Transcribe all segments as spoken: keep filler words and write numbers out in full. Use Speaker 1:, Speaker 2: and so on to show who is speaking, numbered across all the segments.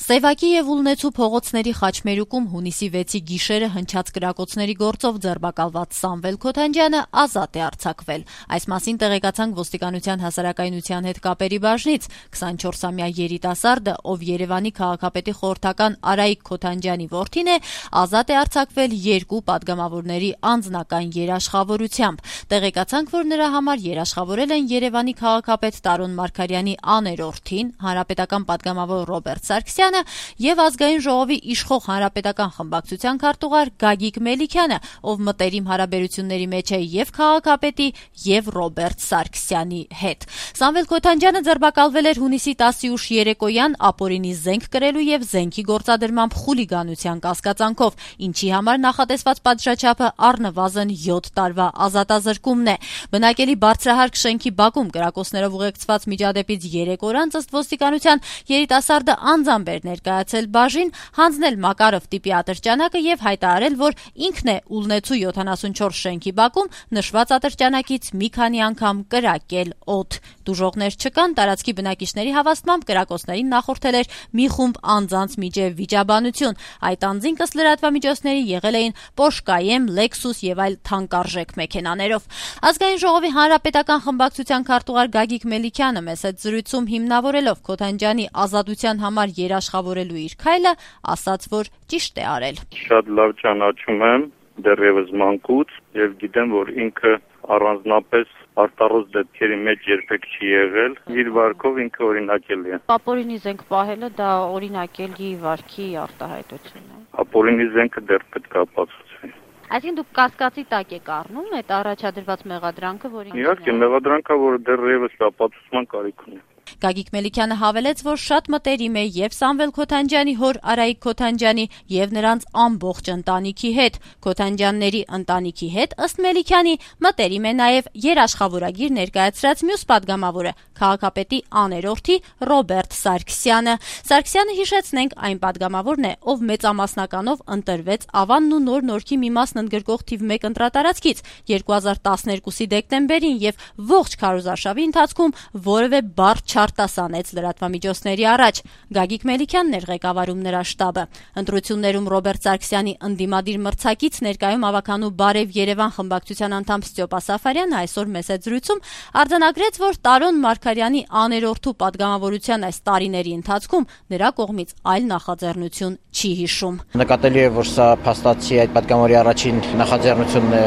Speaker 1: Սևակի եւ Ուլնեցու փողոցների խաչմերուկում հունիսի վեցի գիշերը հնչած կրակոցների գործով ձերբակալված Սամվել Քոթանջյանը ազատ է արձակվել։ Այս մասին տեղեկացանք ոստիկանության հասարակայնության հետ կապերի բաժնից։ քսանչորսամյա երիտասարդը, ով Երևանի քաղաքապետի խորհրդական Արայիկ Քոթանջյանի որդին է, ազատ է արձակվել երկու պատգամավորների անձնական երաշխավորությամբ։ Տեղեկացանք, որ նրա համար երաշխավորել են Երևանի քաղաքապետ Տարոն Մարգարյանի աներորդին, հանրապետական պատգամավոր Ռոբերտ Սարգսյանը եւ ազգային ժողովի իշխող հանրապետական խմբակցության քարտուղար Գագիկ Մելիքյանը, ով մտերիմ հարաբերությունների մեջ է եւ քաղաքապետի եւ Ռոբերտ Սարգսյանի հետ։ Սամվել Քոթանջյանը ձերբակալվել էր հունիսի տասի ուշ երեկոյան ապօրինի զենք կրելու եւ զենքի գործադրմամբ խուլիգանության կասկածանքով, ինչի համար նախատեսված պատժաչափը առնվազն յոթ տարվա ազատազրկումն է։ Բնակելի բարձրահարկ շենքի բակում կրակոցներով ուղեկցված միջադեպից երեք օր անց ըստ ոստիկանության երիտասարդը անձամբ էր ներկայացել բաժին, հանձնել Մակարով տիպի ատրճանակը եւ հայտարարել, որ ինքն է Ուլնեցու յոթանասունչորս շենքի բակում նշված ատրճանակից մի քանի անգամ կրակել օդ։ Դուժողներ չկան, տարածքի բնակիչների հավաստմամբ կրակոցներին նախորդել էր մի խումբ անձանց միջև վիճաբանություն։ Այդ անձինք ըստ լրատվամիջոցների եղել էին Porsche Cayenne, Lexus եւ այլ թանկարժեք մեքենաներով։ Ազգային ժողովի հանրապետական խմբակցության քարտուղար Գագիկ Մելիքյանը մեծ այդ զրույցում հիմնավորելով Քոթանջյանի ազատության համար երաշխավորելու իր քայլը, ասաց, որ ճիշտ է արել։
Speaker 2: Շատ լավ ճանաչում եմ դեռևս մանկուց եւ գիտեմ, որ ինքը առանձնապես արտառոց դեպքերի մեջ երբեք չի եղել, իր վարքով ինքը օրինակելի է։
Speaker 3: Ապօրինի զենք պահելը դա օրինակելի վարքի արտահայտություն է։
Speaker 2: Ապօրինի զենքը դեռ պետք է ապացուցվի։
Speaker 3: Այսինքն դուք կասկածի տակ եք առնում այդ առաջադրված մեղադրանքը, որի
Speaker 2: Իհարկե, մեղադրանքը, որը դեռևս ապացուցման կարիք ունի։
Speaker 1: Գագիկ Մելիքյանը հավելեց, որ շատ մտերիմ է եւ Սամվել Քոթանջյանի հոր Արայիկ Քոթանջյանի եւ նրանց ամբողջ ընտանիքի հետ։ Քոթանջյանների ընտանիքի հետ ըստ Մելիքյանի մտերիմ է նաեւ երաշխավորագիր ներկայացրած մյուս պատգամավորը, քաղաքապետի աներորդի Ռոբերտ Սարգսյանը։ Սարգսյանը, հիշեցնենք, այն պատգամավորն է, ով մեծամասնականով ընտրվեց Ավանն ու Նոր Նորքի մի մասն ընդգրկող թիվ մեկ ընտրատարածքից երկու հազար տասներկուսի դեկտեմբերին եւ ողջ քարոզարշավի ընթացքում որևէ բառ չարտասանեց լրատվամիջոցների առաջ։ Գագիկ Մելիքյանն էր ղեկավարում նրա շտաբը։ Ընտրություններում Ռոբերտ Սարգսյանի ընդդիմադիր մրցակից ներկայում ավականու Բարև Երևան խմբակցության անդամ Ստյոպա Սաֆարյանը այսօր մեծ այդ զրույցում արձանագրեց, որ Տարոն Մարգարյանի աներորդու պատգամավորության այս տարիների ընթացքում նրա կողմից այլ նախաձեռնություն չի հիշում։
Speaker 4: Նկատելի է, որ սա փաստացի այդ պատգամավորի առաջին նախաձեռնությունն է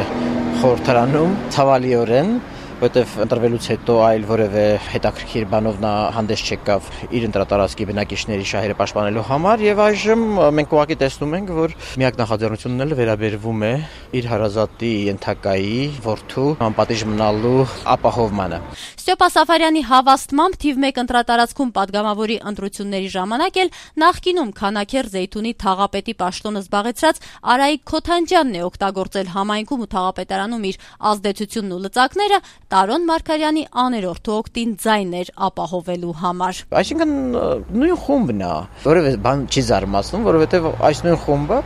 Speaker 4: խորհրդարանում, ցավալիորեն, որտեվ ընտրվելուց հետո այլ որևէ հետաքրքիր բանով նա հանդես չեկավ իր ընտրատարածքի բնակիչների շահերը պաշտպանելու համար եւ այժմ մենք ուղղակի տեսնում ենք, որ միակ նախաձեռնությունն էլ վերաբերվում է իր հարազատի ենթակայի որդու անպատիժ մնալու ապահովմանը։
Speaker 1: Ստյոպա Սաֆարյանի հավաստմամբ թիվ մեկ ընտրատարածքում պատգամավորի ընտրությունների ժամանակ էլ նախկինում Քանաքեր Զեյթունի թաղապետի պաշտոնը զբաղեցրած Արայիկ Քոթանջյանն է օգտագործել համայնքում ու թաղապետարանում իր ազդեցությունն ու լծակները Տարոն Մարգարյանի աներորդու օգտին ձայներ ապահովելու համար։
Speaker 4: Այսինքն նույն խումբն է, որևէ բան չի զարմացնում, որովհետև այս նույն խումբը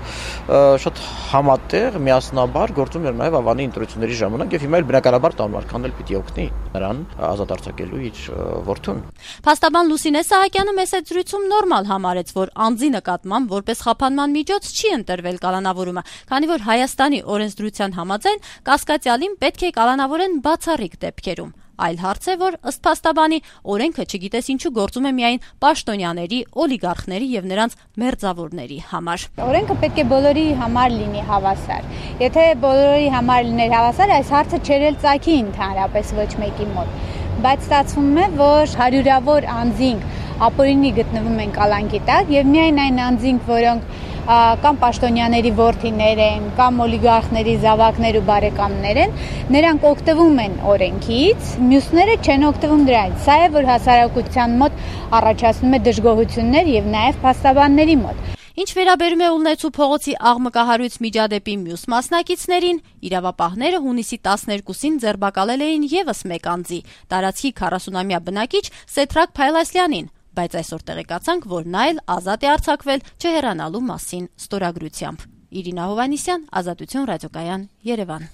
Speaker 4: շատ համատեղ, միասնաբար գործում էր նաև Ավանի ընտրությունների ժամանակ եւ հիմա էլ բնականաբար Տարոն Մարգարյանն էլ պիտի օգնի նրան ազատ արձակելու իր որդուն։
Speaker 1: Փաստաբան Լուսինե Սահակյանը մեծ այդ զրույցում նորմալ համարեց, որ անձի նկատմամբ որպես խափանման միջոց չի ընտրվել կալանավորումը, քանի որ Հայաստանի օրենսդրության համաձայն կասկածյալին պետք է կալանավորեն բացառիկ դեպքերում։ Այլ հարց է, որ ըստ փաստաբանի օրենքը չգիտես ինչու գործում է միայն պաշտոնյաների, օլիգարխների եւ նրանց մերձավորների համար։
Speaker 5: Օրենքը պետք է բոլորի համար լինի հավասար։ Եթե բոլորի համար լիներ հավասար, այս հարցը չէր էլ ծագի ընդհանրապես ոչ մեկի մոտ։ Բայց ստացվում է, որ հարյուրավոր անձինք ապօրինի գտնվում են կալանքի տակ եւ միայն այն անձինք, որոնք կամ պաշտոնյաների որդիներ են, կամ օլիգարխների զավակներ ու բարեկամներ են, նրանք օգտվում են օրենքից, մյուսները չեն օգտվում դրանից։ Սա է, որ հասարակության մոտ առաջացնում է դժգոհություններ եւ նաեւ փաստաբանների մոտ։
Speaker 1: Ինչ վերաբերում է Ուլնեցու փողոցի աղմկահարույց միջադեպի մյուս մասնակիցներին, իրավապահները հունիսի տասներկուսին ձերբակալել էին եւս մեկ անձի, տարածքի քառասունամյա բնակիչ Սեդրակ Փայլասյանին, բայց այսօր տեղեկացանք, որ նա էլ ազատ է արձակվել չհեռանալու մասին ստորագրությամբ։ Իրինա Հովհաննիսյան, Ազատություն ռադիոկայան, Երևան։